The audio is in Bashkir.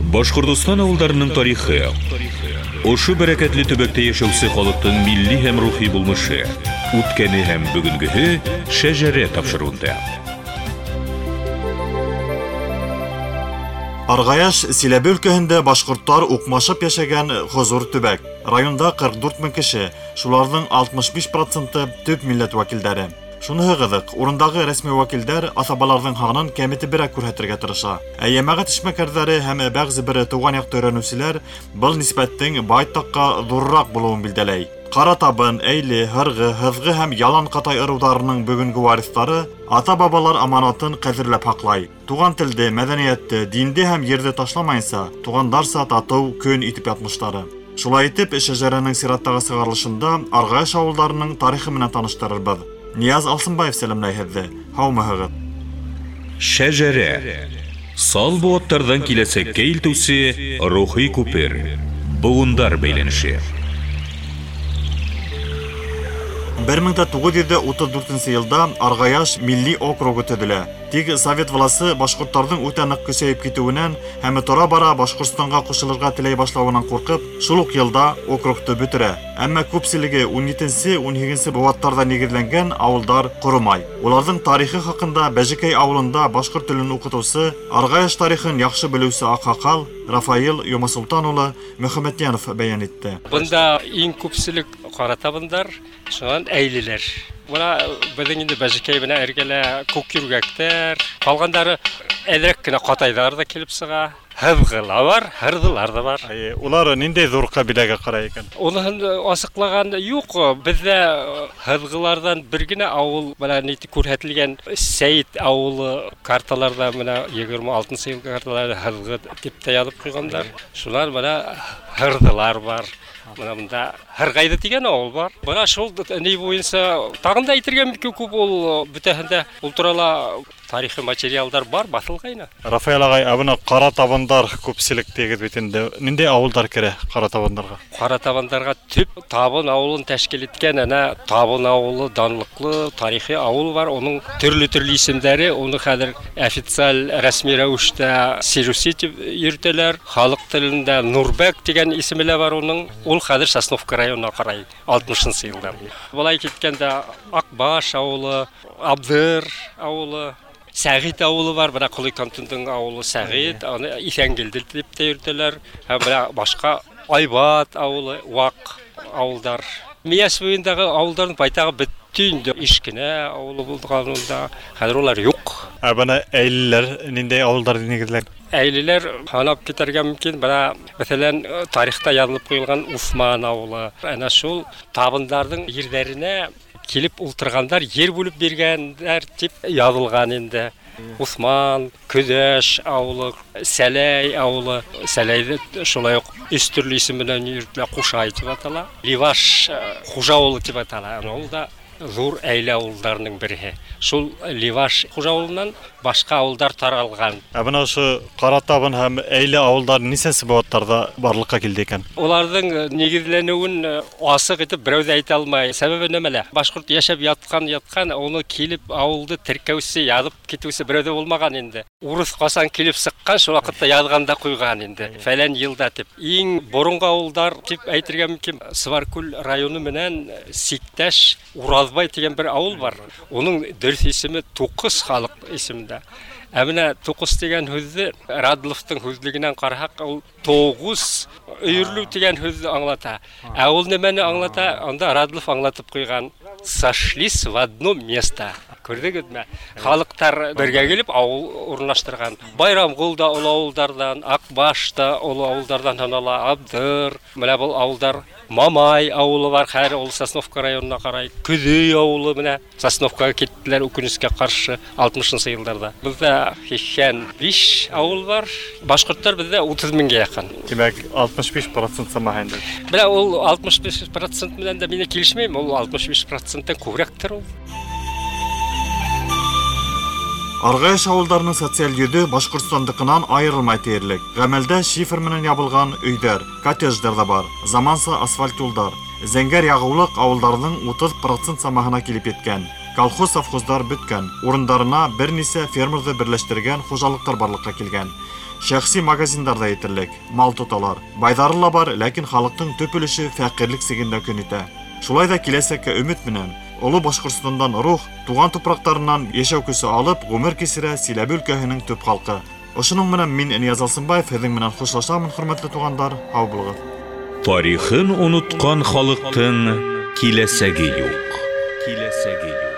Башҡортостан ауылдарының тарихы, ошо бәрәкәтле төбәктә йәшәүсе халыҡтың милли һәм рухи булмышы, үткәне һәм бөгөнгөһө Шәжәрә тапшырыуында. Арғаяш Силәбе өлкәһендә башҡорттар уҡмашып йәшәгән хозур төбәк. Районда 44 мең кеше, шуларҙың 65% төп милләт вәкилдәре. Шуныһы ҡыҙыҡ, урындағы рәсми вәкилдәр аҫабаларҙың һанын кәметеберәк күрһәтергә тырыша. Ә йәмәғәт эшмәкәрҙәре һәм бәғзе бер тыуған яҡты өйрәнеүселәр был нисбәттең байтаҡҡа ҙурыраҡ булыуын билдәләй. Ҡара табын, әйле, һырғы, һыҙғы һәм ялан ҡатай ырыуҙарының бөгөнгө вариҫтары ата-бабалар аманатын ҡәҙерләп һаҡлай. Туған телде, мәҙәниәтте, динде һәм ерҙе ташламайынса, туғандарса татыу көн итеп ятмыштары. Шулай итеп, Шәжәрәнең сираттағы сығарылышында Арғаяш ауылдарының тарихы менән таныштырырбыҙ. Нияз Алсынбаев сәләмләй һеҙҙе. Һаумыһығыҙ. Шәжәрә. Сал быуаттарҙан киләсәккә илтеүсе рухи күпер. Быуындар бәйләнеше. 1934 йылда Арғаяш милли округы төҙөлә. Тик совет власы башҡорттарҙың үтә ныҡ көсәйеп китеүенән һәм тора-бара Башҡортостанға ҡушылырға теләй башлауынан ҡурҡып, шул уҡ йылда округты бөтөрә. Әммә күпселеге 17-18 быуаттарҙа нигеҙләнгән ауылдар ҡоромай. Уларҙың тарихы хаҡында Бәжекәй ауылында башҡорт телен уҡытыусы, Арғаяш тарихын яҡшы белеүсе аҡһаҡал Рафаил Йомасолтан улы Мөхәммәтйәнов бәйән итте. Бында иң күпселек ҡара табындар, шунан әйлеләр. Бына беҙҙең инде Бәжекәй менән эргәлә күк йүргәктәр, ҡалғандары әҙерәк кенә ҡатайҙар ҙа килеп сыға. Һыҙғыла бар, һырҙылар ҙа бар. Улар ниндәй ҙур ҡәбиләгә ҡарай икән? Уныһын асыҡлаған юҡ. Беҙҙә һыҙғыларҙан бер генә ауыл бына ни күрһәтелгән Сәйет ауылы карталарҙа бына 26-нсы йыл карталарҙа һыҙғы тип тә яҙып ҡуйғандар. Шунан бына һырҙылар бар. Бына бында Һырғайҙы тигән ауыл бар. Бына шул ни буйынса тағын да әйтергә мөмкин күп, ул бөтәһендә ул турала тарихи материалдар бар, баҫылғайны. Рафаэл ағай, ә бына ҡара табындар күпселек тигеҙ бит инде. Ниндәй ауылдар керә ҡара табындарға? Ҡара табындарға төп Табын ауылын тәшкил иткән әнә Табын ауылы данлыҡлы тарихи ауыл бар. Уның төрлө-төрлө исемдәре, уны хәҙер официаль рәсми рәүештә Сируси тип йөрөтәләр. Халыҡ телендә Нурбәк тигән исеме лә бар уның. Ул хәҙер Сосновка районына ҡарай 60-нсы йылда. Былай киткәндә Аҡбаш ауылы, Абҙыр ауылы, Сәғит ауылы бар, бына Ҡолый кантонының ауылы Сәғит, аны Иҫәнгелде тип тә йөрөтәләр. Һәм бына башҡа Айбат ауылы, ваҡ ауылдар. Миәс буйындағы ауылдарҙың байтағы бөттө инде. Ишкенә ауылы булған унда, хәҙер улар юҡ. Ә бына әйлеләр ниндәй ауылдар нигеҙләгән? Әйлеләр һанап китергә мөмкин. Бына, мәҫәлән, тарихта яҙылып ҡуйылған Уҫман ауылы. Әнә шул табындарҙың ерҙәренә килеп ултырғандар, ер бүлеп биргәндәр тип яҙылған инде. Уҫман, Көҙәш ауылы, Сәләй ауылы. Сәләйҙе шулай уҡ өс төрлө исем менән йөрөтөлә, Ҡушай тип атала. Ливаш Хужа ауылы тип атала. Ул да ҙур әйлә ауылдарының береһе. Шул Ливаш Хужа ауылынан башҡа ауылдар таралған. Ә бына ошо Ҡара табын һәм әйлә ауылдары нисәнсе быуаттарҙа барлыҡҡа килде икән? Уларҙың нигеҙләнеүен асыҡ итеп берәү ҙә әйтә алмай. Сәбәбе нәмәлә? Башҡорт йәшәп ятҡан, уны килеп ауылды теркәүсе, яҙып китеүсе берәү ҙә булмаған инде. Урыҫ ҡасан килеп сыҡҡан, шул ваҡытта яҙған да ҡуйған инде. Фәлән йылда тип. Иң боронғо ауылдар тип әйтергә мөмкин. Сыбаркүл районы менән сиктәш Ураҙбай тигән бер ауыл бар. Уның дөрөҫ исеме Туҡыс халыҡ исемендә. Ә бына Туҡыс тигән һүҙҙе Радловтың һүҙлегенән ҡараһаҡ, ул тоғуз өйөрлөү тигән һүҙҙе аңлата. Ә ул нәмәне аңлата? Анда Радлов аңлатып ҡуйған: сошлись в одно место. Күрҙегеҙме? Халыҡтар бергә килеп ауыл урынлаштырған. Байрамғол да оло ауылдарҙан, Аҡбаш та оло ауылдарҙан һанала, Абҙыр, бына был ауылдар, Мамай ауылы бар, хәҙер ул Сосновка районына ҡарай. Көҙөй ауылы менә Сосновкаға киттеләр үкенескә ҡаршы 60-нсы йылдарҙа. Беҙҙә 85 ауыл бар. Башҡорттар беҙҙә 30 меңгә яҡын. Тимәк, 65% самаһы инде. Бына ул 65% менән дә мин килешмәйем, ул 65%-тан күберәктер ул. Арғаяш ауылдарының социаль йөҙө Башҡортостандыҡынан айырылмай тиерлек. Ғәмәлдә шифер менән ябылған өйҙәр, коттедждар ҙа бар, заманса асфальт юлдар. Зәңгәр яғыулыҡ ауылдарҙың 30% самаһына килеп еткән. Колхоз-совхоздар бөткән, урындарына бер нисә фермерҙы берләштергән хужалыҡтар барлыҡҡа килгән. Шәхси магазиндар да етерлек, мал тоталар. Байҙары ла бар, ләкин халыҡтың төп өлөшө фәҡирлек сигендә көн итә. Шулай ҙа киләсәккә өмөт менән Оло Башҡортостандан рух, туған тупраҡтарынан йәшәү көсө алып, ғүмер кисерә Силәбе өлкәһенең төп халҡы. Ошоноң менән мин Нияз Алсынбаев һеҙҙең менән хушлашамын, хөрмәтле туғандар, һау булығыҙ. Тарихын онотҡан халыҡтың киләсәге юҡ. Киләсәге юҡ.